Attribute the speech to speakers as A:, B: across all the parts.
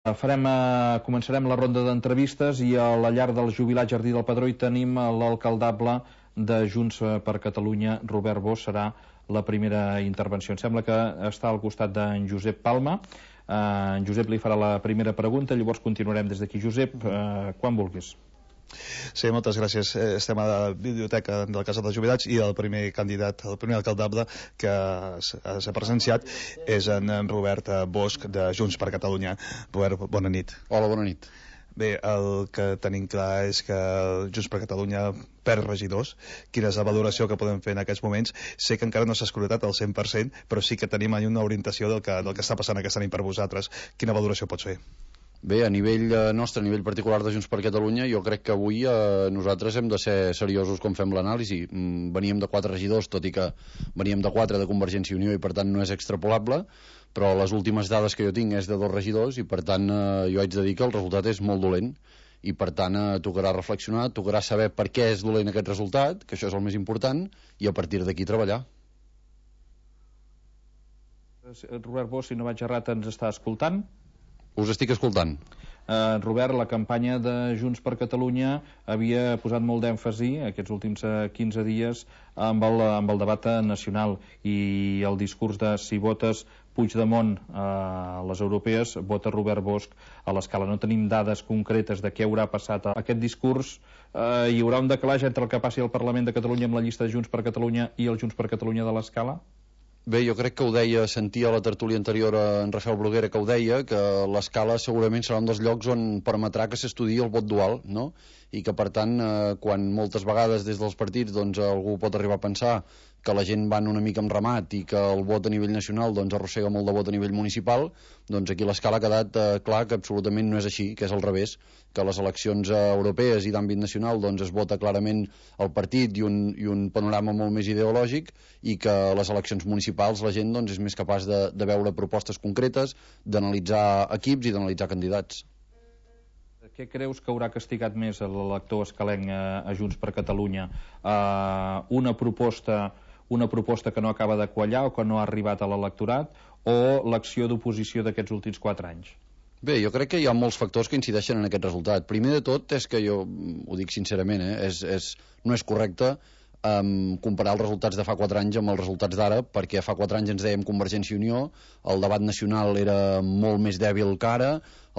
A: Començarem la ronda d'entrevistes i a la llar del jubilat Jardí del Pedró hi tenim l'alcaldable de Junts per Catalunya, Robert Bosch. Serà la primera intervenció. Em sembla que està al costat d'en Josep Palma. En Josep li farà la primera pregunta, llavors continuarem des d'aquí. Josep, quan vulguis.
B: Sí, moltes gràcies. Estem a la biblioteca del Casal dels Jubilats i el primer candidat, el primer alcaldable que s'ha presenciat és en Robert Bosch de Junts per Catalunya. Robert, bona nit.
C: Hola, bona nit.
B: Bé, el que tenim clar és que Junts per Catalunya perd regidors. Quina és la valoració que podem fer en aquests moments? Sé que encara no s'ha escrutat al 100%, però sí que tenim una orientació del que està passant aquesta nit per vosaltres. Quina valoració pots fer?
C: Bé, a nivell nostre, a nivell particular de Junts per Catalunya, jo crec que avui nosaltres hem de ser seriosos com fem l'anàlisi. Veníem de 4 regidors, tot i que veníem de 4 de Convergència i Unió i per tant no és extrapolable, però les últimes dades que jo tinc és de 2 regidors i per tant jo haig de dir que el resultat és molt dolent i per tant tocarà reflexionar, tocarà saber per què és dolent aquest resultat, que això és el més important, i a partir d'aquí treballar.
A: Robert Bosch, si no vaig errat, ens està escoltant?
C: Us estic escoltant.
A: Robert, la campanya de Junts per Catalunya havia posat molt d'èmfasi aquests últims 15 dies amb el debat nacional i el discurs de si votes Puigdemont a les europees, vota Robert Bosch a l'Escala. No tenim dades concretes de què haurà passat aquest discurs. Hi haurà un decalaix entre el que passi al Parlament de Catalunya amb la llista de Junts per Catalunya i el Junts per Catalunya de l'Escala?
C: Bé, jo crec que ho deia, sentia a la tertúlia anterior en Rafael Bruguera que ho deia, que l'Escala segurament serà un dels llocs on permetrà que s'estudiï el vot dual, no? I que per tant, quan moltes vegades des dels partits doncs, algú pot arribar a pensar que la gent van una mica amb ramat i que el vot a nivell nacional doncs, arrossega molt de vot a nivell municipal, doncs aquí l'Escala ha quedat clar que absolutament no és així, que és al revés, que les eleccions europees i d'àmbit nacional doncs, es vota clarament el partit i un panorama molt més ideològic i que les eleccions municipals la gent doncs, és més capaç de veure propostes concretes, d'analitzar equips i d'analitzar candidats.
A: Què creus que haurà castigat més l'elector escalenc a Junts per Catalunya? Una proposta que no acaba de quallar o que no ha arribat a l'electorat o l'acció d'oposició d'aquests últims 4 anys?
C: Bé, jo crec que hi ha molts factors que incideixen en aquest resultat. Primer de tot és que jo ho dic sincerament, no és correcte comparar els resultats de fa 4 anys amb els resultats d'ara, perquè fa 4 anys ens dèiem Convergència i Unió, el debat nacional era molt més dèbil que ara,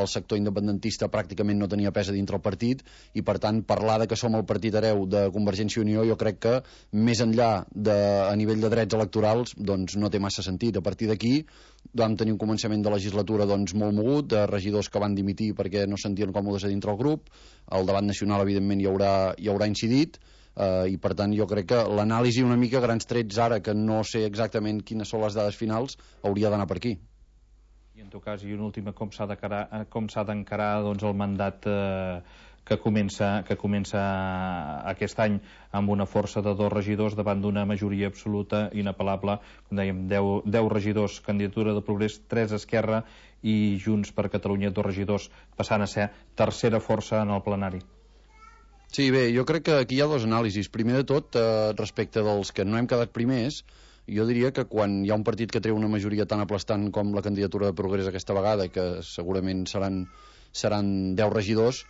C: el sector independentista pràcticament no tenia pes a dintre el partit i per tant parlar de que som el partit hereu de Convergència i Unió jo crec que més enllà a nivell de drets electorals doncs no té massa sentit. A partir d'aquí vam tenir un començament de legislatura doncs molt mogut, de regidors que van dimitir perquè no sentien còmodes a dintre el grup, el debat nacional evidentment hi haurà incidit i per tant jo crec que l'anàlisi una mica grans trets ara que no sé exactament quines són les dades finals hauria d'anar per aquí.
A: I en tot cas, i una última, com s'ha d'encarar doncs, el mandat que comença aquest any amb una força de 2 regidors davant d'una majoria absoluta inapel·lable, com dèiem, 10 regidors, candidatura de Progrés, 3 Esquerra i Junts per Catalunya, 2 regidors, passant a ser tercera força en el plenari.
C: Sí, bé, jo crec que aquí hi ha 2 anàlisis. Primer de tot, respecte dels que no hem quedat primers, jo diria que quan hi ha un partit que treu una majoria tan aplastant com la candidatura de Progrés aquesta vegada, que segurament seran 10 regidors,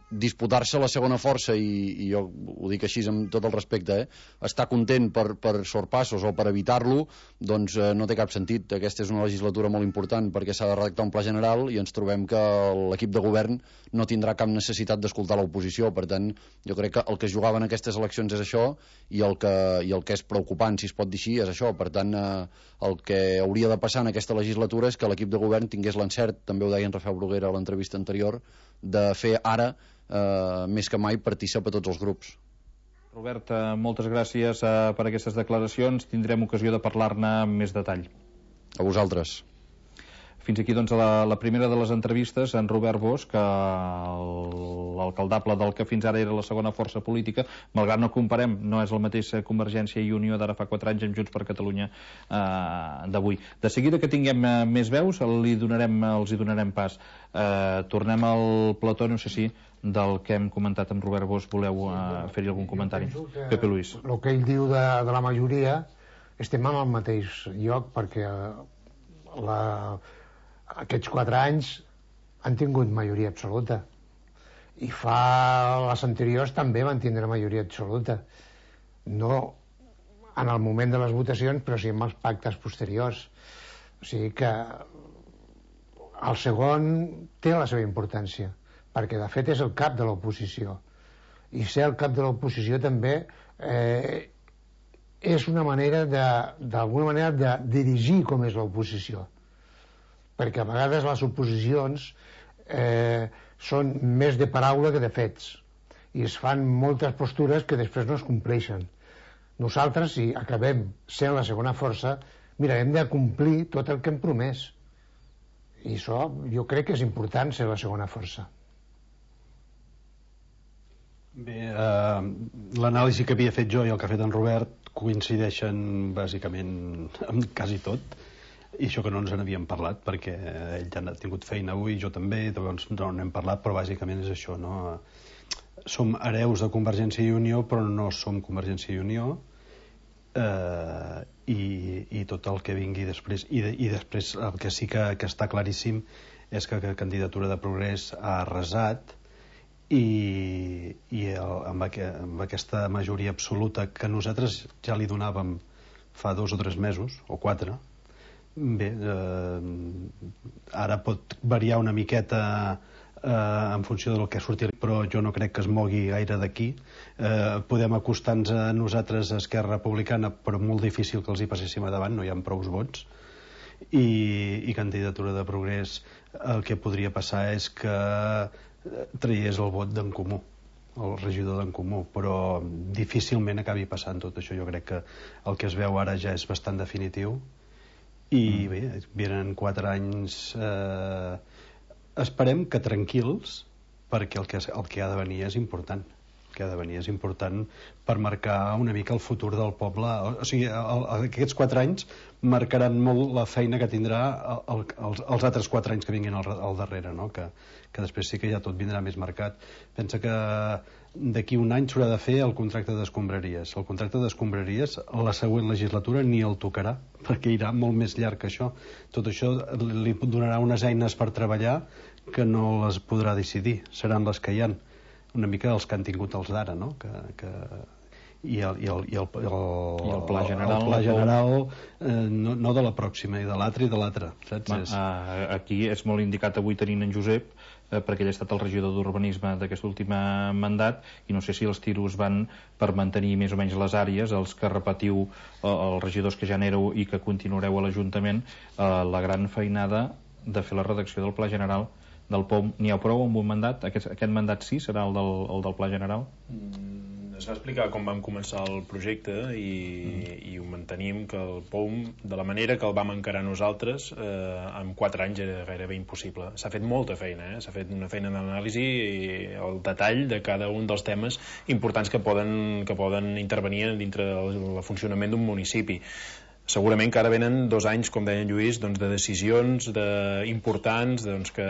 C: disputar-se la segona força i jo ho dic així amb tot el respecte, estar content per sorpassos o per evitar-lo doncs no té cap sentit. Aquesta és una legislatura molt important perquè s'ha de redactar un pla general i ens trobem que l'equip de govern no tindrà cap necessitat d'escoltar l'oposició. Per tant, jo crec que el que es jugava en aquestes eleccions és això i el que és preocupant, si es pot dir així, és això. Per tant, el que hauria de passar en aquesta legislatura és que l'equip de govern tingués l'encert, també ho deia en Rafael Bruguera a l'entrevista anterior, de fer ara més que mai partícip a tots els grups.
A: Robert, moltes gràcies per aquestes declaracions. Tindrem ocasió de parlar-ne amb més detall.
C: A vosaltres.
A: Fins aquí doncs la primera de les entrevistes en Robert Bosch, l'alcaldable del que fins ara era la segona força política, malgrat no comparem, no és el mateix Convergència i Unió d'ara fa 4 anys amb Junts per Catalunya d'avui. De seguida que tinguem més veus els hi donarem pas. Tornem al plató, no sé si del que hem comentat amb Robert Bosch voleu fer-hi algun comentari. Pepe Luis.
D: El que ell diu de la majoria estem en el mateix lloc perquè Aquests 4 anys han tingut majoria absoluta. I fa les anteriors també van tindre majoria absoluta. No en el moment de les votacions, però sí en els pactes posteriors. O sigui que el segon té la seva importància, perquè de fet és el cap de l'oposició. I ser el cap de l'oposició també és una manera d'alguna manera de dirigir com és l'oposició, perquè a vegades les oposicions són més de paraula que de fets i es fan moltes postures que després no es compleixen. Nosaltres, si acabem sent la segona força, mirarem de complir tot el que hem promès, i això jo crec que és important, ser la segona força.
E: Bé, l'anàlisi que havia fet jo i el que ha fet en Robert coincideixen bàsicament amb quasi tot, i això que no ens n'havíem parlat perquè ell ja ha tingut feina avui, jo també, doncs no n'hem parlat, però bàsicament és això, no? Som hereus de Convergència i Unió, però no som Convergència i Unió, i tot el que vingui després, i després el que sí que està claríssim és que la candidatura de Progrés ha arrasat, i amb aquesta majoria absoluta que nosaltres ja li donàvem fa 2 o 3 mesos o 4, bé, ara pot variar una miqueta en funció del que surti, però jo no crec que es mogui gaire d'aquí. Podem acostar-nos a nosaltres, a Esquerra Republicana, però molt difícil que els hi passéssim a davant, no hi ha prous vots, i candidatura de Progrés, el que podria passar és que traiés el vot d'en Comú, el regidor d'en Comú, però difícilment acabi passant tot això. Jo crec que el que es veu ara ja és bastant definitiu, i bé, venen 4 anys, esperem que tranquils, perquè el que ha de venir és important. El que ha de venir és important per marcar una mica el futur del poble. O sigui, aquests 4 anys marcaran molt la feina que tindrà els altres 4 anys que vinguin al darrere, no? Que després sí que ja tot vindrà més marcat. Pensa que d'aquí un any s'haurà de fer el contracte d'escombraries. El contracte d'escombraries la següent legislatura ni el tocarà, perquè irà molt més llarg que això. Tot això li donarà unes eines per treballar que no les podrà decidir, seran les que hi han, una mica els que han tingut els d'ara, no? I el
A: pla general,
E: el pla general no de la pròxima, i de l'altra i de l'altra, saps?
A: Aquí és molt indicat avui tenint en Josep, perquè ell ha estat el regidor d'urbanisme d'aquest últim mandat, i no sé si els tiros van per mantenir més o menys les àrees, els que repetiu, els regidors que ja n'éreu i que continuareu a l'Ajuntament, la gran feinada de fer la redacció del Pla General del POM. N'hi ha prou amb un mandat? Aquest mandat sí serà el del Pla General?
F: Es va explicar com vam començar el projecte i ho mantenim, que el POM, de la manera que el vam encarar nosaltres, en 4 anys era gairebé impossible. S'ha fet molta feina, s'ha fet una feina d'anàlisi i el detall de cada un dels temes importants que poden intervenir dintre del funcionament d'un municipi. Segurament que ara venen 2 anys, com deia en Lluís, de decisions importants que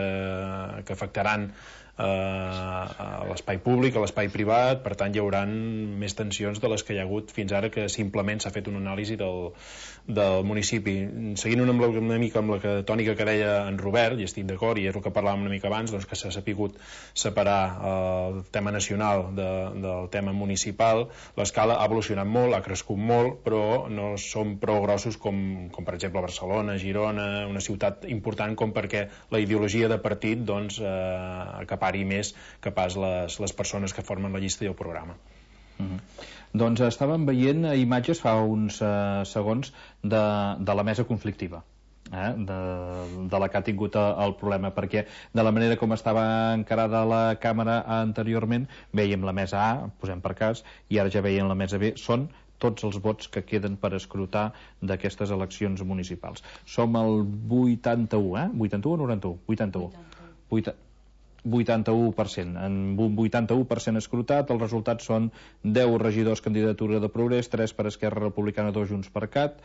F: afectaran a l'espai públic, a l'espai privat. Per tant, hi haurà més tensions de les que hi ha hagut fins ara, que simplement s'ha fet una anàlisi del municipi. Seguint una mica amb la tònica que deia en Robert, i estic d'acord, i és el que parlàvem una mica abans, doncs que s'ha sapigut separar el tema nacional del tema municipal. L'escala ha evolucionat molt, ha crescut molt, però no som prou grossos com per exemple Barcelona, Girona, una ciutat important com perquè la ideologia de partit acapari més que pas les persones que formen la llista i el programa.
A: Doncs estàvem veient imatges fa uns segons de la mesa conflictiva, de la que ha tingut el problema, perquè de la manera com estava encarada la càmera anteriorment, veiem la mesa A, posem per cas, i ara ja veiem la mesa B. Són tots els vots que queden per escrutar d'aquestes eleccions municipals. Som el 81, 81 o 91? 81. 81%. En un 81% escrutat, els resultats són 10 regidors candidatura de Progrés, 3 per Esquerra Republicana, 2 Junts per Cat,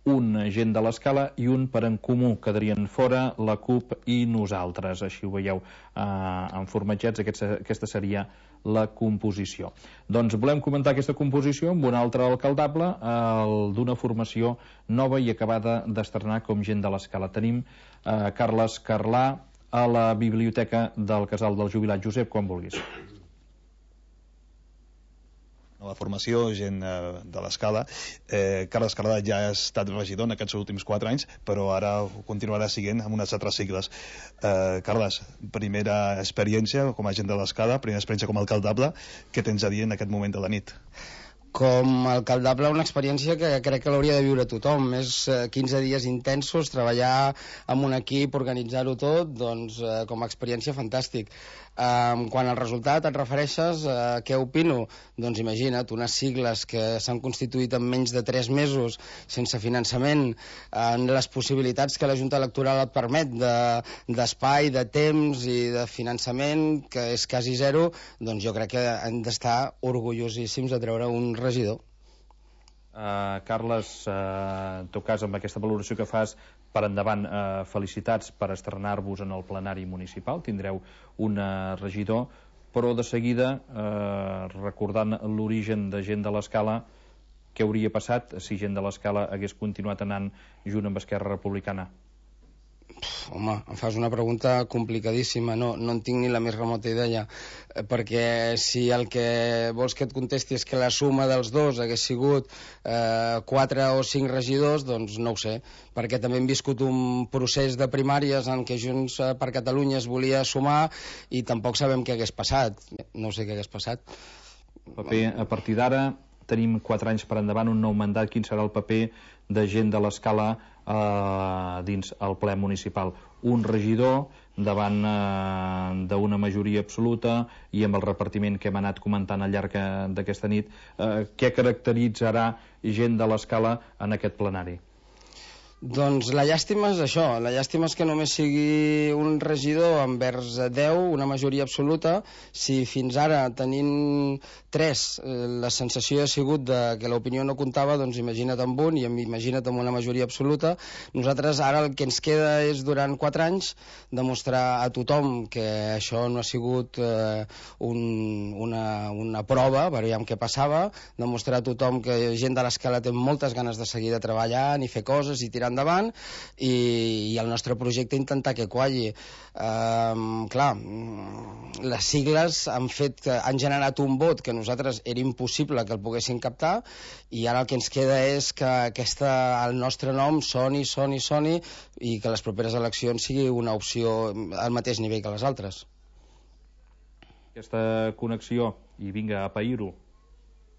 A: un Gent de l'Escala i un Per en Comú. Quedarien fora la CUP i nosaltres. Així ho veieu en formatgets. Aquesta seria la composició. Doncs volem comentar aquesta composició amb un altre alcaldable, el d'una formació nova i acabada d'estrenar com Gent de l'Escala. Tenim Carles Carlà a la biblioteca del Casal del Jubilat. Josep, quan vulguis.
B: La formació, gent de l'Escala. Carles Carlà ja ha estat regidor en aquests últims 4 anys, però ara ho continuarà siguent amb unes altres sigles. Carles, primera experiència com a gent de l'Escala, primera experiència com a alcaldable. Què tens a dir en aquest moment de la nit?
G: Com a alcaldable, una experiència que crec que l'hauria de viure tothom. Més 15 dies intensos, treballar amb un equip, organitzar-ho tot, doncs com a experiència fantàstic. Quan al resultat et refereixes a què opino, doncs imagina't, unes sigles que s'han constituït en menys de 3 mesos, sense finançament, en les possibilitats que la Junta Electoral et permet d'espai, de temps i de finançament, que és quasi zero, doncs jo crec que hem d'estar orgullosíssims de treure un regidor.
A: Carles, en tot cas, amb aquesta valoració que fas, per endavant, felicitats per estrenar-vos en el plenari municipal. Tindreu un regidor, però de seguida, recordant l'origen de Gent de l'Escala, què hauria passat si Gent de l'Escala hagués continuat anant junt amb Esquerra Republicana?
G: Home, em fas una pregunta complicadíssima, no en tinc ni la més remota idea, perquè si el que vols que et contesti és que la suma dels dos hagués sigut 4 o 5 regidors, doncs no ho sé, perquè també hem viscut un procés de primàries en què Junts per Catalunya es volia sumar i tampoc sabem què hagués passat, no sé què hagués passat.
A: Paper, a partir d'ara tenim 4 anys per endavant, un nou mandat. Quin serà el paper de Gent de l'Escala dins el ple municipal? Un regidor davant d'una majoria absoluta i amb el repartiment que hem anat comentant al llarg d'aquesta nit. Què caracteritzarà Gent de l'Escala en aquest plenari?
G: Doncs la llàstima és això, la llàstima és que només sigui un regidor envers 10, una majoria absoluta. Si fins ara tenint 3 la sensació ha sigut que l'opinió no comptava, doncs imagina't amb un i imagina't amb una majoria absoluta. Nosaltres ara el que ens queda és durant 4 anys demostrar a tothom que això no ha sigut una prova, veiem què passava, demostrar a tothom que Gent de l'Escala té moltes ganes de seguir de treballar i fer coses i tirar endavant, i el nostre projecte intentar que qualli. Clar, les sigles han generat un vot que nosaltres era impossible que el poguessin captar, i ara el que ens queda és que el nostre nom soni i que les properes eleccions sigui una opció al mateix nivell que les altres.
A: Aquesta connexió, i vinga a pair-ho.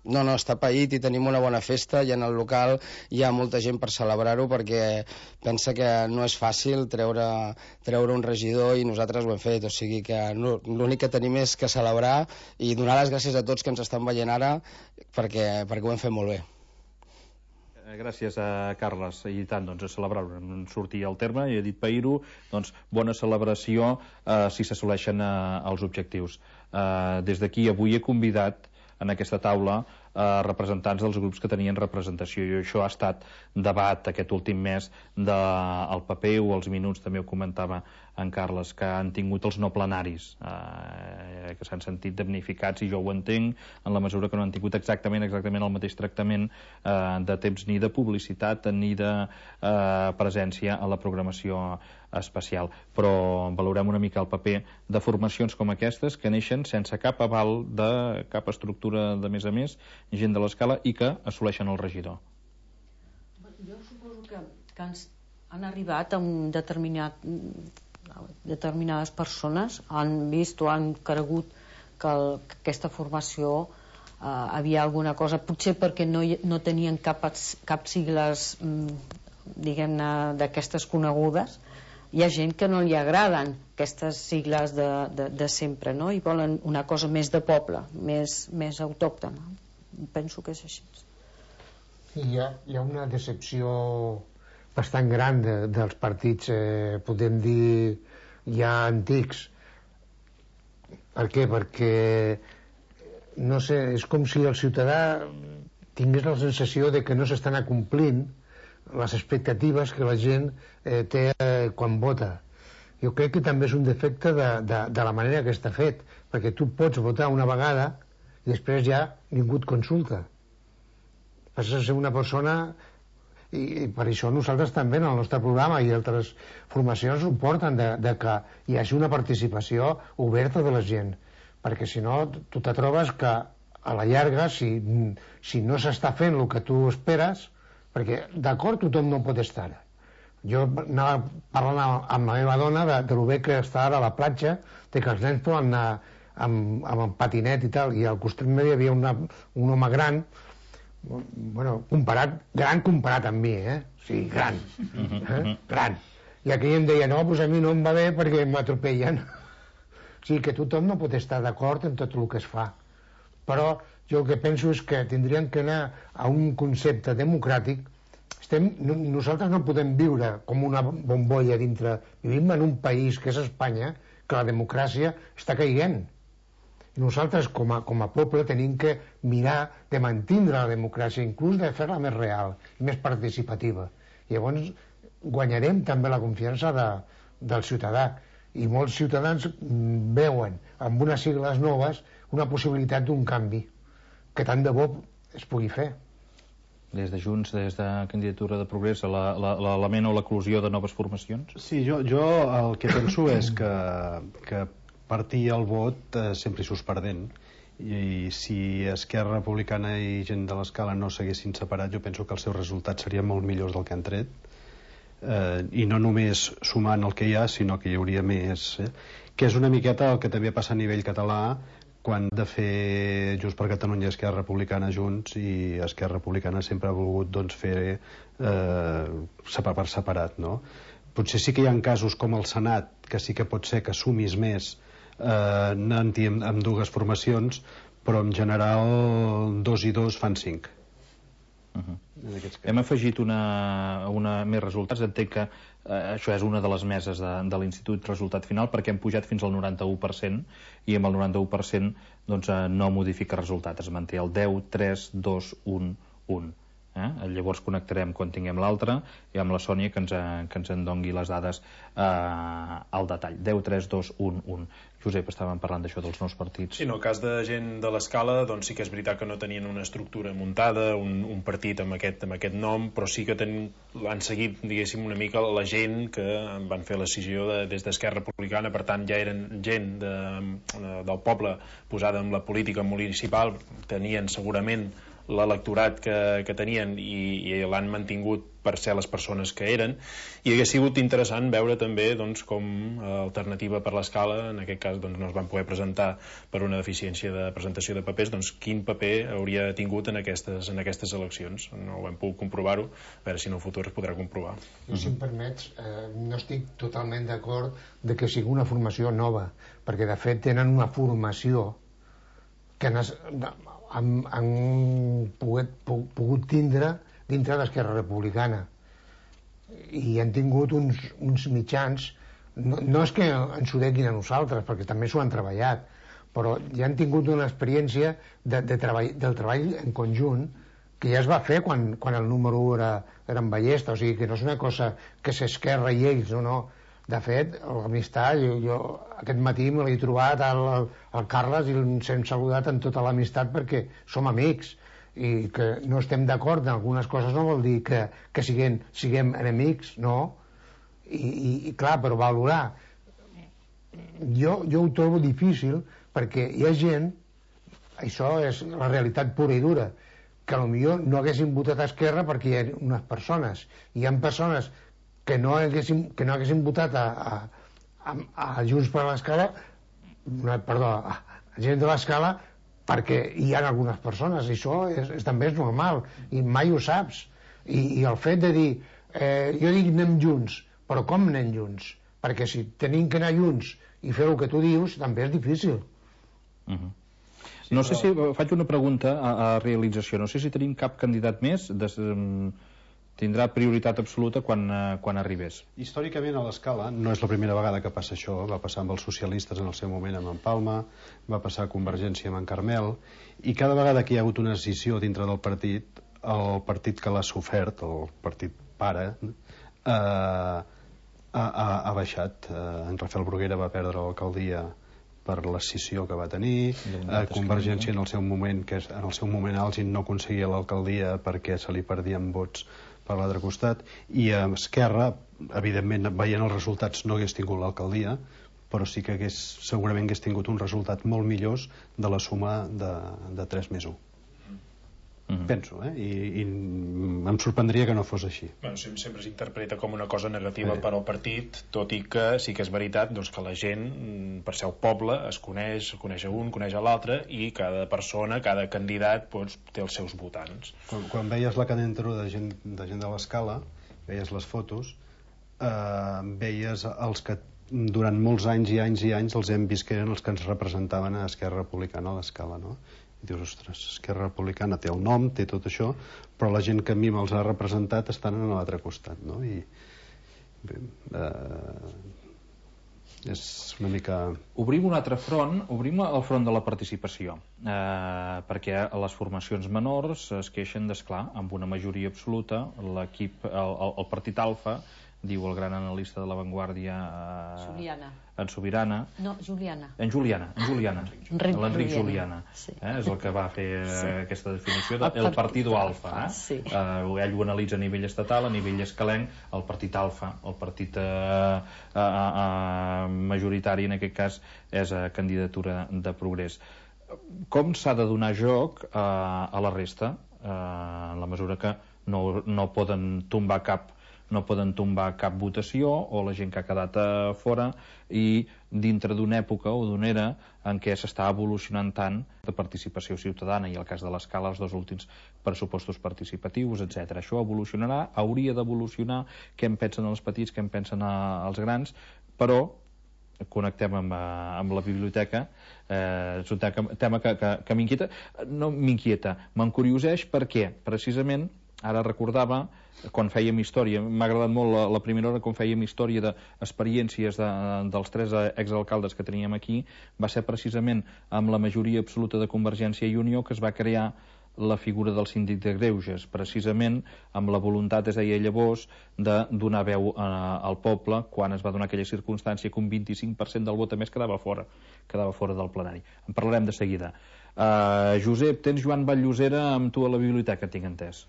G: No, està paït i tenim una bona festa, i en el local hi ha molta gent per celebrar-ho, perquè pensa que no és fàcil treure un regidor, i nosaltres ho hem fet, o sigui que l'únic que tenim és que celebrar i donar les gràcies a tots que ens estan veient ara, perquè ho hem fet molt bé.
A: Gràcies a Carles, i tant, doncs a celebrar-ho, en sortir al terme, i he dit pair-ho, doncs bona celebració si s'assoleixen els objectius. Des d'aquí avui he convidat en aquesta taula representants dels grups que tenien representació, i això ha estat debat aquest últim mes del paper, o els minuts, també ho comentava en Carles, que han tingut els no plenaris, que s'han sentit damnificats, i jo ho entenc, en la mesura que no han tingut exactament el mateix tractament de temps, ni de publicitat ni de presència a la programació especial. Però valorem una mica el paper de formacions com aquestes, que neixen sense cap aval de cap estructura de més a més, Gent de l'Escala, i que assoleixen el regidor.
H: Jo suposo que han arribat a un determinades persones, han vist o han cregut que aquesta formació havia alguna cosa, potser perquè no tenien cap sigles, diguem-ne, d'aquestes conegudes. Hi ha gent que no li agraden aquestes sigles de sempre, no? I volen una cosa més de poble, més autòctona. Penso que és així.
D: Hi ha una decepció bastant gran dels partits, podem dir, ja antics. Per què? Perquè, no sé, és com si el ciutadà tingués la sensació de que no s'estan acomplint les expectatives que la gent té quan vota. Jo crec que també és un defecte de la manera que està fet, perquè tu pots votar una vegada i després ja ningú et consulta. Passes a ser una persona, i per això nosaltres també en el nostre programa i altres formacions ho porten, de que hi hagi una participació oberta de la gent, perquè si no tu te trobes que a la llarga, si no s'està fent el que tu esperes, perquè d'acord tothom no pot estar. Jo anava parlant amb la meva dona de lo bé que està ara a la platja, de que els nens poden anar amb patinet i tal, i al costat meu hi havia un home gran, bueno, gran comparat amb mi, sí, gran, gran. I aquell em deia, no, doncs a mi no em va bé perquè m'atropellen. O sigui que tothom no pot estar d'acord en tot el que es fa. Però jo el que penso és que tindríem que anar a un concepte democràtic. Nosaltres no podem viure com una bombolla dintre. Vivim en un país que és Espanya, que la democràcia està caient. I nosaltres com a poble tenim que mirar de mantindre la democràcia, inclús de fer-la més real i més participativa. I llavors guanyarem també la confiança del ciutadà. I molts ciutadans veuen amb unes sigles noves una possibilitat d'un canvi que tant de bo es pugui fer.
A: Des de Junts, des de Candidatura de Progrés, l'element o l'eclusió de noves formacions?
E: Sí, jo el que penso és que partir el vot sempre hi surts perdent, i si Esquerra Republicana i gent de l'Escala no s'haguessin separat, jo penso que els seus resultats serien molt millors del que han tret, i no només sumant el que hi ha, sinó que hi hauria més, que és una miqueta el que també passa a nivell català quan de fer Junts per Catalunya i Esquerra Republicana junts, i Esquerra Republicana sempre ha volgut fer per separat, no? Potser sí que hi ha casos com el Senat, que sí que pot ser que sumis més anant-hi amb dues formacions, però en general 2 i 2 fan 5.
A: Hem afegit més resultats. Entenc que això és una de les meses de l'Institut Resultat Final, perquè hem pujat fins al 91%, i amb el 91% doncs, no modifica resultat, es manté el 10, 3, 2, 1, 1. Llavors connectarem quan tinguem l'altre, i amb la Sònia que ens en dongui les dades al detall. 10, 3, 2, 1, 1. Josep, estàvem parlant d'això dels nous partits.
F: Sí, en el cas de gent de l'Escala, doncs sí que és veritat que no tenien una estructura muntada, un partit amb aquest nom, però sí que han seguit, diguéssim, una mica la gent que van fer la decisió des d'Esquerra Republicana. Per tant, ja eren gent del poble posada en la política municipal, tenien segurament l'electorat que tenien i l'han mantingut per ser les persones que eren, i hauria sigut interessant veure també com alternativa per l'Escala, en aquest cas no es van poder presentar per una deficiència de presentació de papers, quin paper hauria tingut en aquestes eleccions. No ho hem pogut comprovar-ho, a veure si en el futur es podrà comprovar.
D: Jo, si em permets, no estic totalment d'acord de que sigui una formació nova, perquè de fet tenen una formació que han pogut tindre dintre d'Esquerra Republicana, i han tingut uns mitjans, no és que ens ho deguin a nosaltres, perquè també s'ho han treballat, però ja han tingut una experiència del treball en conjunt que ja es va fer quan el número 1 era en Ballesta. O sigui que no és una cosa que s'Esquerra i ells, no. De fet, l'amistat, jo aquest matí me l'he trobat al Carles i ens hem saludat amb tota l'amistat perquè som amics, i que no estem d'acord en algunes coses no vol dir que siguem enemics, no. I clar, però valorar, jo ho trobo difícil, perquè hi ha gent, això és la realitat pura i dura, que potser no haguessin votat a Esquerra perquè hi ha unes persones, i hi ha persones que no haguessin votat a Junts per l'Escala, perdó, a gent de l'Escala, perquè hi ha algunes persones, i això també és normal, i mai ho saps. I el fet de dir, jo dic anem junts, però com anem junts? Perquè si tenim que anar junts i fer el que tu dius, també és difícil.
A: No sé si, faig una pregunta a realització, no sé si tenim cap candidat més, tindrà prioritat absoluta quan arribés.
E: Històricament a l'Escala no és la primera vegada que passa això, va passar amb els socialistes en el seu moment amb en Palma, va passar a Convergència amb en Carmel, i cada vegada que hi ha hagut una decisió dintre del partit, el partit que l'ha sofert, el partit pare, ha baixat. En Rafael Bruguera va perdre l'alcaldia per l'escissió que va tenir. Convergència en el seu moment àlgid no aconseguia l'alcaldia perquè se li perdien vots per l'altre costat, i Esquerra, evidentment, veient els resultats, no hagués tingut l'alcaldia, però sí que segurament hagués tingut un resultat molt millors de la suma de 3 més 1. Penso, i em sorprendria que no fos així.
F: Bueno, sempre s'interpreta com una cosa negativa per al partit, tot i que sí que és veritat que la gent, per ser el poble, es coneix a un, coneix a l'altre, i cada persona, cada candidat té els seus votants.
E: Quan veies la candidatura de gent de l'Escala, veies les fotos, veies els que durant molts anys i anys i anys els hem vist que eren els que ens representaven a Esquerra Republicana a l'Escala, no? I dius, ostres, Esquerra Republicana té el nom, té tot això, però la gent que a mi me'ls ha representat estan a l'altre costat, no? I bé, és una mica...
A: Obrim un altre front, obrim el front de la participació, perquè les formacions menors es queixen d'esclar, amb una majoria absoluta, l'equip, el partit Alfa, diu el gran analista de La Vanguardia en Sobirana.
H: No, Juliana.
A: En Juliana. L'Enric Juliana.
H: Sí.
A: És el que va fer aquesta definició del partido Alfa.
H: Sí.
A: Ell ho analitza a nivell estatal, a nivell escalenc, el partit Alfa, el partit majoritari, en aquest cas, és candidatura de Progrés. Com s'ha de donar joc a la resta, en la mesura que no poden tombar cap votació, o la gent que ha quedat fora, i dintre d'una època o d'una era en què s'està evolucionant tant de participació ciutadana, i el cas de l'Escala, els 2 últims pressupostos participatius, etc. Això evolucionarà, hauria d'evolucionar. Què en pensen els petits, què en pensen els grans, però connectem amb la biblioteca. És un tema que m'inquieta, no m'inquieta, m'encurioseix, perquè precisament ara recordava, quan fèiem història, m'ha agradat molt la primera hora, quan fèiem història d'experiències dels 3 exalcaldes que teníem aquí, va ser precisament amb la majoria absoluta de Convergència i Unió que es va crear la figura del síndic de greuges, precisament amb la voluntat, es deia llavors, de donar veu al poble, quan es va donar aquella circumstància que un 25% del vot a més quedava fora del plenari. En parlarem de seguida. Josep, tens Joan Vall-Llosera amb tu a la biblioteca, tinc entès.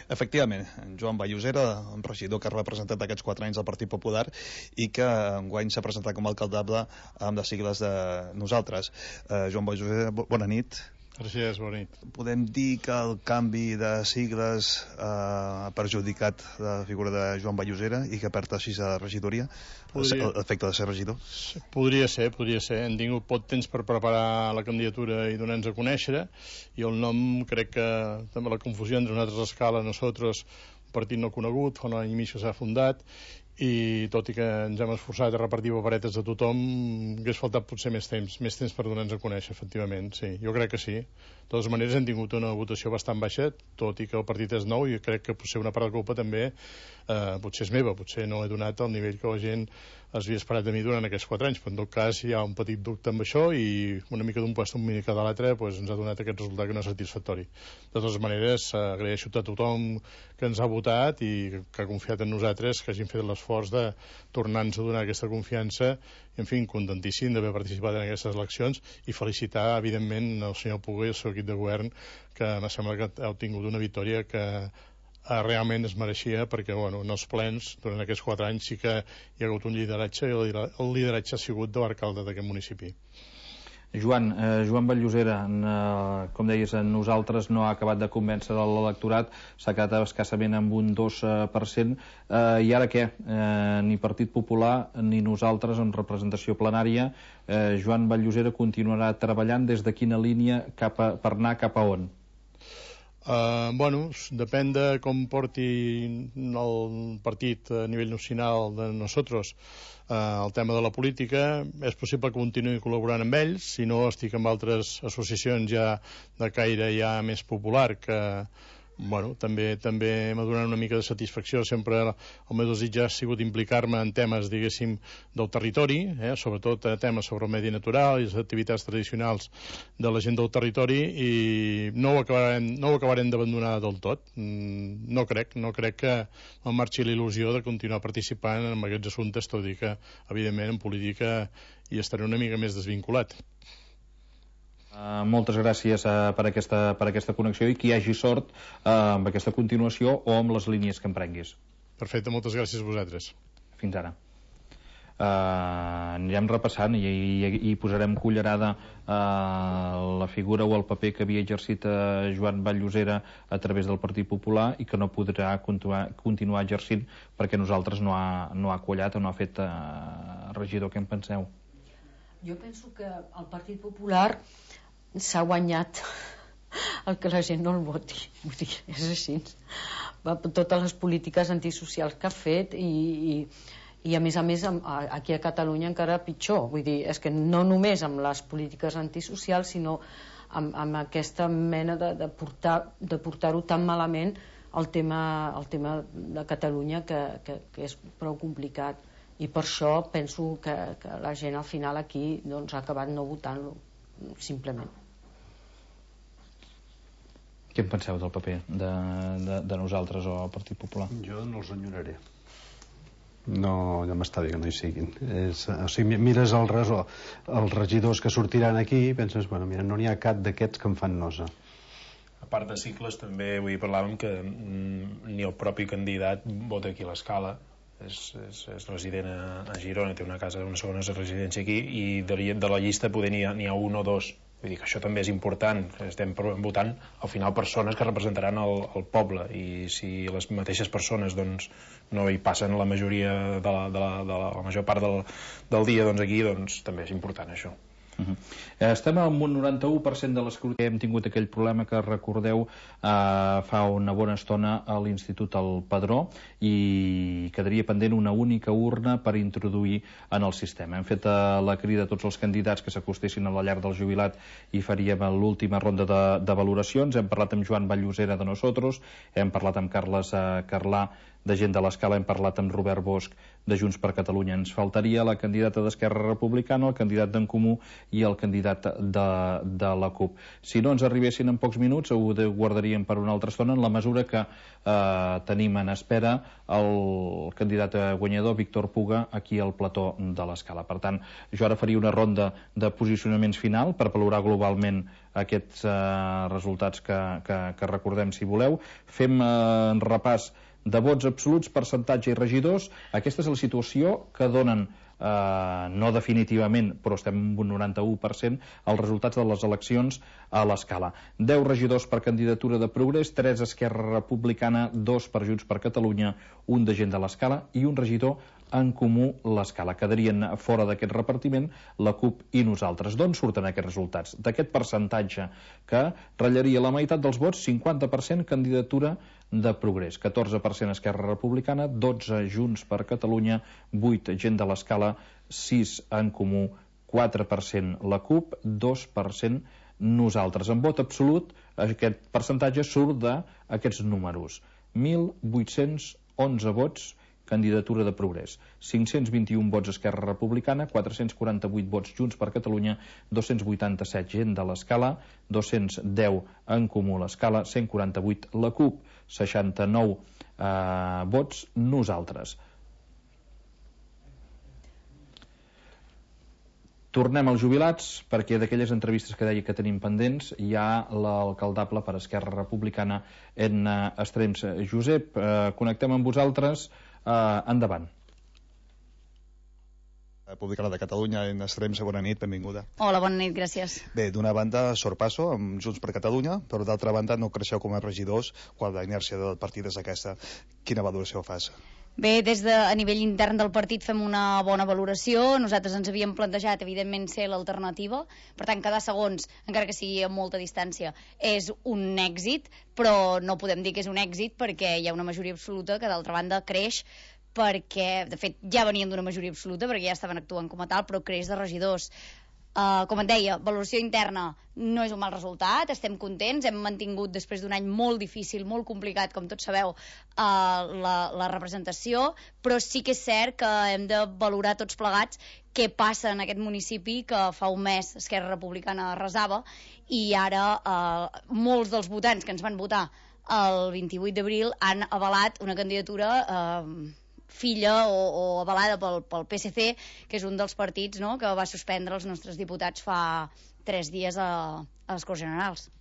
B: Efectivament, en Joan Vall-Llosera, un regidor que ha representat aquests 4 anys del Partit Popular i que enguany s'ha presentat com a alcaldable amb les sigles de Nosaltres. Joan Vall-Llosera, bona nit.
I: Gràcies, bona nit.
B: Podem dir que el canvi de sigles ha perjudicat la figura de Joan Vall-Llosera i que perd així la regidoria, l'efecte de ser regidor?
I: Podria ser. Hem tingut poc temps per preparar la candidatura i donar-nos a conèixer, i el nom, crec que també la confusió entre nosaltres, Escala, nosaltres, un partit no conegut, fa un any i mig que s'ha fundat, i tot i que ens hem esforçat a repartir paperetes a tothom, hagués faltat potser més temps per donar-nos a conèixer, efectivament, sí, jo crec que sí. De totes maneres hem tingut una votació bastant baixa, tot i que el partit és nou, i crec que potser una part de culpa també potser és meva, potser no he donat el nivell que la gent es havia esperat de mi durant aquests 4 anys, però en tot cas hi ha un petit dubte amb això, i una mica d'un puesto, una mica de l'altre, ens ha donat aquest resultat que no és satisfactori. De totes maneres, agraeixo a tothom que ens ha votat i que ha confiat en nosaltres, que hagin fet l'esforç de tornar-nos a donar aquesta confiança, i en fi, contentíssim d'haver participat en aquestes eleccions, i felicitar evidentment el senyor Puga i el seu equip de govern, que em sembla que ha obtingut una victòria que realment es mereixia, perquè en els plens durant aquests 4 anys sí que hi ha hagut un lideratge, i el lideratge ha sigut de l'alcalde d'aquest municipi.
A: Joan Vall-Llosera, com deies, nosaltres no ha acabat de convèncer l'electorat, s'ha quedat escassament amb un 2%, i ara què? Ni Partit Popular ni nosaltres amb representació plenària. Joan Vall-Llosera continuarà treballant des de quina línia per anar cap a on?
I: Depèn de com porti el partit a nivell nacional de nosaltres el tema de la política. És possible que continuï col·laborant amb ells, si no estic amb altres associacions ja de caire ja més popular que bueno, també m'ha donat una mica de satisfacció. Sempre el meu desig ha sigut implicar-me en temes, diguéssim, del territori, sobretot temes sobre el medi natural i les activitats tradicionals de la gent del territori, i no ho acabarem d'abandonar del tot. No crec que em marxi la il·lusió de continuar participant en aquests assumptes, tot i que, evidentment, en política hi estaré una mica més desvinculat.
A: Moltes gràcies per aquesta connexió i que hi hagi sort amb aquesta continuació o amb les línies que emprenguis.
I: Perfecte, moltes gràcies a vosaltres.
A: Fins ara. Anirem repassant i posarem cullerada la figura o el paper que havia exercit Joan Vall-Llosera a través del Partit Popular i que no podrà continuar exercint perquè nosaltres no ha quallat o no ha fet regidor. Què en penseu?
H: Jo penso que el Partit Popular s'ha guanyat el que la gent no el voti, vull dir, és així. Totes les polítiques antisocials que ha fet i a més aquí a Catalunya encara pitjor, vull dir, és que no només amb les polítiques antisocials sinó amb aquesta mena de portar-ho tan malament el tema de Catalunya que és prou complicat, i per això penso que la gent al final aquí ha acabat no votant-lo, simplement.
A: Què en penseu del paper de nosaltres o el Partit Popular?
E: Jo no els enyoraré. No, ja m'està bé que no hi siguin. O sigui, mires els regidors que sortiran aquí i penses, bueno, mira, no n'hi ha cap d'aquests que em fan nosa.
F: A part de cicles, també avui parlàvem que ni el propi candidat vota aquí a l'Escala. És resident a Girona, té una segona residència aquí, i de la llista poder n'hi ha un o dos. Vull dir que això també és important. Estem votant al final persones que representaran el poble, i si les mateixes persones no hi passen la majoria la major part del dia aquí, també és important això.
A: Estem amb un 91% de l'escrutini. Hem tingut aquell problema que recordeu fa una bona estona a l'Institut al Padró, i quedaria pendent una única urna per introduir en el sistema. Hem fet la crida a tots els candidats que s'acostessin a la llar del jubilat i faríem l'última ronda de valoracions. Hem parlat amb Joan Vall-Llosera de Nosaltres, hem parlat amb Carles Carlà de Gent de l'Escala, hem parlat amb Robert Bosch de Junts per Catalunya. Ens faltaria la candidata d'Esquerra Republicana, el candidat d'en Comú i el candidat de la CUP. Si no ens arribessin en pocs minuts, ho guardaríem per una altra estona, en la mesura que tenim en espera el candidat guanyador, Víctor Puga, aquí al plató de l'Escala. Per tant, jo ara faria una ronda de posicionaments final per valorar globalment aquests resultats que recordem, si voleu. Fem repàs de vots absoluts, percentatge i regidors. Aquesta és la situació que donen, no definitivament, però estem amb un 91%, els resultats de les eleccions a l'Escala. 10 regidors per candidatura de Progrés, 3 Esquerra Republicana, 2 per Junts per Catalunya, 1 de Gent de l'Escala i un regidor en Comú l'Escala. Quedarien fora d'aquest repartiment la CUP i nosaltres. D'on surten aquests resultats? D'aquest percentatge que ratllaria la meitat dels vots, 50% candidatura de Progrés, 14% Esquerra Republicana, 12 Junts per Catalunya, 8 Gent de l'Escala, 6 en Comú, 4% la CUP, 2% nosaltres. En vot absolut, aquest percentatge surt d'aquests números. 1.811 vots candidatura de Progrés, 521 vots Esquerra Republicana, 448 vots Junts per Catalunya, 287 Gent de l'Escala, 210 en Comú l'Escala, 148 la CUP, 69 vots nosaltres. Tornem als jubilats, perquè d'aquelles entrevistes que deia que tenim pendents hi ha l'alcaldable per Esquerra Republicana en Estrems. Josep, connectem amb vosaltres. Endavant.
B: Republicana de Catalunya en Estrems, bona nit, benvinguda.
J: Hola, bona nit, gràcies.
B: Bé, d'una banda sorpasso amb Junts per Catalunya, però d'altra banda no creixeu com a regidors quan la inèrcia del partit és aquesta. Quina valoració fas?
J: Bé, a nivell intern del partit fem una bona valoració. Nosaltres ens havíem plantejat, evidentment, ser l'alternativa. Per tant, quedar segons, encara que sigui a molta distància, és un èxit, però no podem dir que és un èxit perquè hi ha una majoria absoluta que, d'altra banda, creix perquè, de fet, ja venien d'una majoria absoluta perquè ja estaven actuant com a tal, però creix de regidors. Com et deia, valoració interna no és un mal resultat, estem contents, hem mantingut després d'un any molt difícil, molt complicat, com tots sabeu, la representació, però sí que és cert que hem de valorar tots plegats què passa en aquest municipi que fa un mes Esquerra Republicana arrasava i ara molts dels votants que ens van votar el 28 d'abril han avalat una candidatura filla o avalada pel PSC, que és un dels partits, no?, que va suspendre els nostres diputats fa 3 dies a les Corts Generals.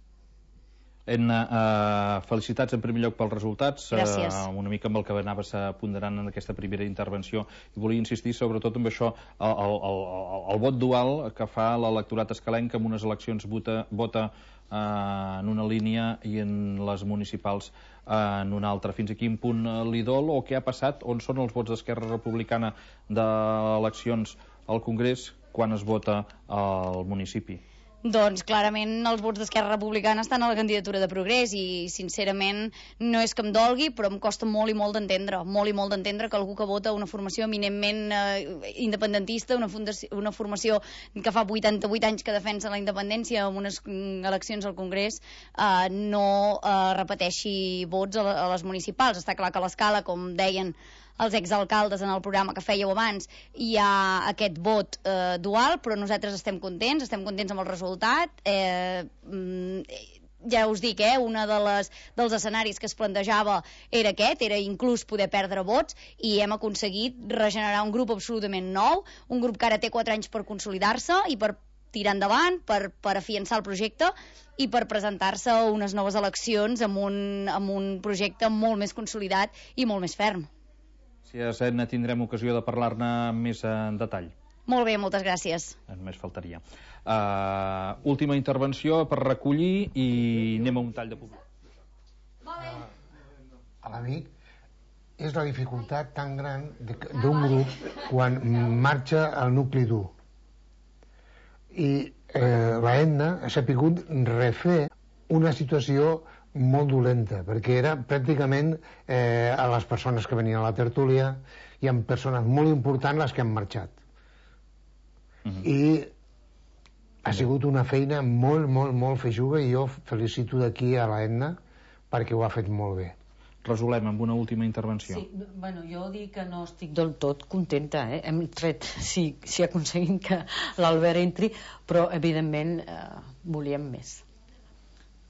A: Felicitats en primer lloc pels resultats.
J: Gràcies.
A: Una mica amb el que anaves ponderant en aquesta primera intervenció, i volia insistir sobretot en això, el vot dual que fa l'electorat escalenc, que en unes eleccions vota en una línia i en les municipals en una altra. Fins a quin punt li dol o què ha passat? On són els vots d'Esquerra Republicana d'eleccions al Congrés quan es vota al municipi?
J: Doncs clarament els vots d'Esquerra Republicana estan a la candidatura de Progrés i sincerament no és que em dolgui, però em costa molt i molt d'entendre que algú que vota una formació eminentment independentista, una formació que fa 88 anys que defensa la independència en unes eleccions al Congrés, no repeteixi vots a les municipals. Està clar que a l'escala, com deien els exalcaldes en el programa que fèieu abans, hi ha aquest vot dual, però nosaltres estem contents amb el resultat. Ja us dic, un dels escenaris que es plantejava era aquest, era inclús poder perdre vots, i hem aconseguit regenerar un grup absolutament nou, un grup que ara té 4 anys per consolidar-se i per tirar endavant, per afiançar el projecte i per presentar-se a unes noves eleccions amb un projecte molt més consolidat i molt més ferm.
A: Gràcies, Edna. Tindrem ocasió de parlar-ne més en detall.
J: Molt bé, moltes gràcies.
A: Només faltaria. Última intervenció per recollir i anem a un tall de públic.
D: A l'amic és la dificultat tan gran d'un grup quan marxa el nucli dur. I la Edna ha sapigut refer una situació molt dolenta, perquè era pràcticament a les persones que venien a la tertúlia i amb persones molt importants les que han marxat. I ha sigut una feina molt, molt, molt feixuga, i jo felicito d'aquí a la Edna perquè ho ha fet molt bé.
A: Resolem amb una última intervenció.
H: Sí, bueno, jo dic que no estic del tot contenta, hem tret, si aconseguim que l'Albert entri, però evidentment volíem més.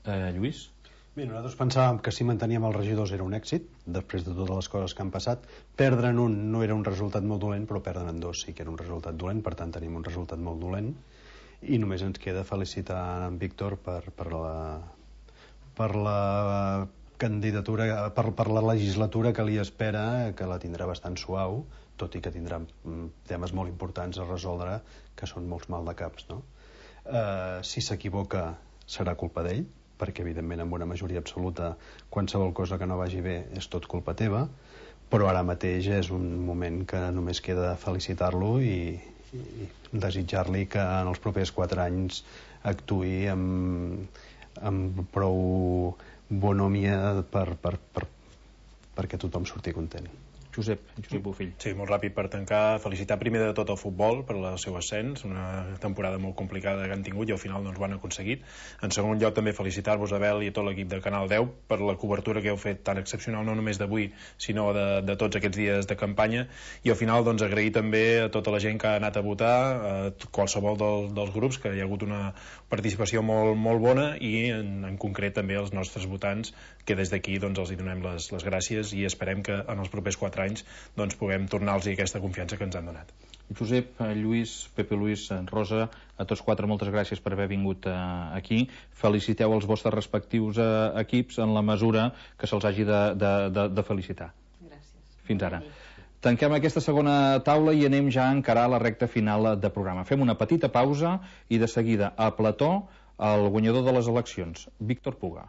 A: Lluís?
E: Bé, nosaltres pensàvem que si manteníem els regidors era un èxit, després de totes les coses que han passat. Perdre'n un no era un resultat molt dolent, però perdre'n dos sí que era un resultat dolent, per tant tenim un resultat molt dolent, i només ens queda felicitar en Víctor per la candidatura, per la legislatura que li espera, que la tindrà bastant suau, tot i que tindrà temes molt importants a resoldre, que són molts maldecaps, no? Si s'equivoca serà culpa d'ell, perquè evidentment amb una majoria absoluta qualsevol cosa que no vagi bé és tot culpa teva, però ara mateix és un moment que només queda felicitar-lo i desitjar-li que en els propers 4 anys actuï amb prou bonhomia perquè tothom surti content.
A: Josep Bofill.
F: Sí, molt ràpid per tancar. Felicitar primer de tot el futbol per el seu ascens, una temporada molt complicada que han tingut i al final doncs ho han aconseguit. En segon lloc també felicitar-vos, Abel, i a tot l'equip de Canal 10 per la cobertura que heu fet tan excepcional, no només d'avui, sinó de tots aquests dies de campanya, i al final doncs agrair també a tota la gent que ha anat a votar, a qualsevol dels grups, que hi ha hagut una participació molt, molt bona, i en concret també als nostres votants, que des d'aquí doncs els hi donem les gràcies i esperem que en els propers 4 anys doncs puguem tornar-los aquesta confiança que ens han donat.
A: Josep, Lluís, Pepe Luis, Rosa, a tots 4 moltes gràcies per haver vingut aquí. Feliciteu els vostres respectius equips en la mesura que se'ls hagi de felicitar.
H: Gràcies.
A: Fins ara. Tanquem aquesta segona taula i anem ja a encarar la recta final de programa. Fem una petita pausa i de seguida a plató el guanyador de les eleccions, Víctor Puga.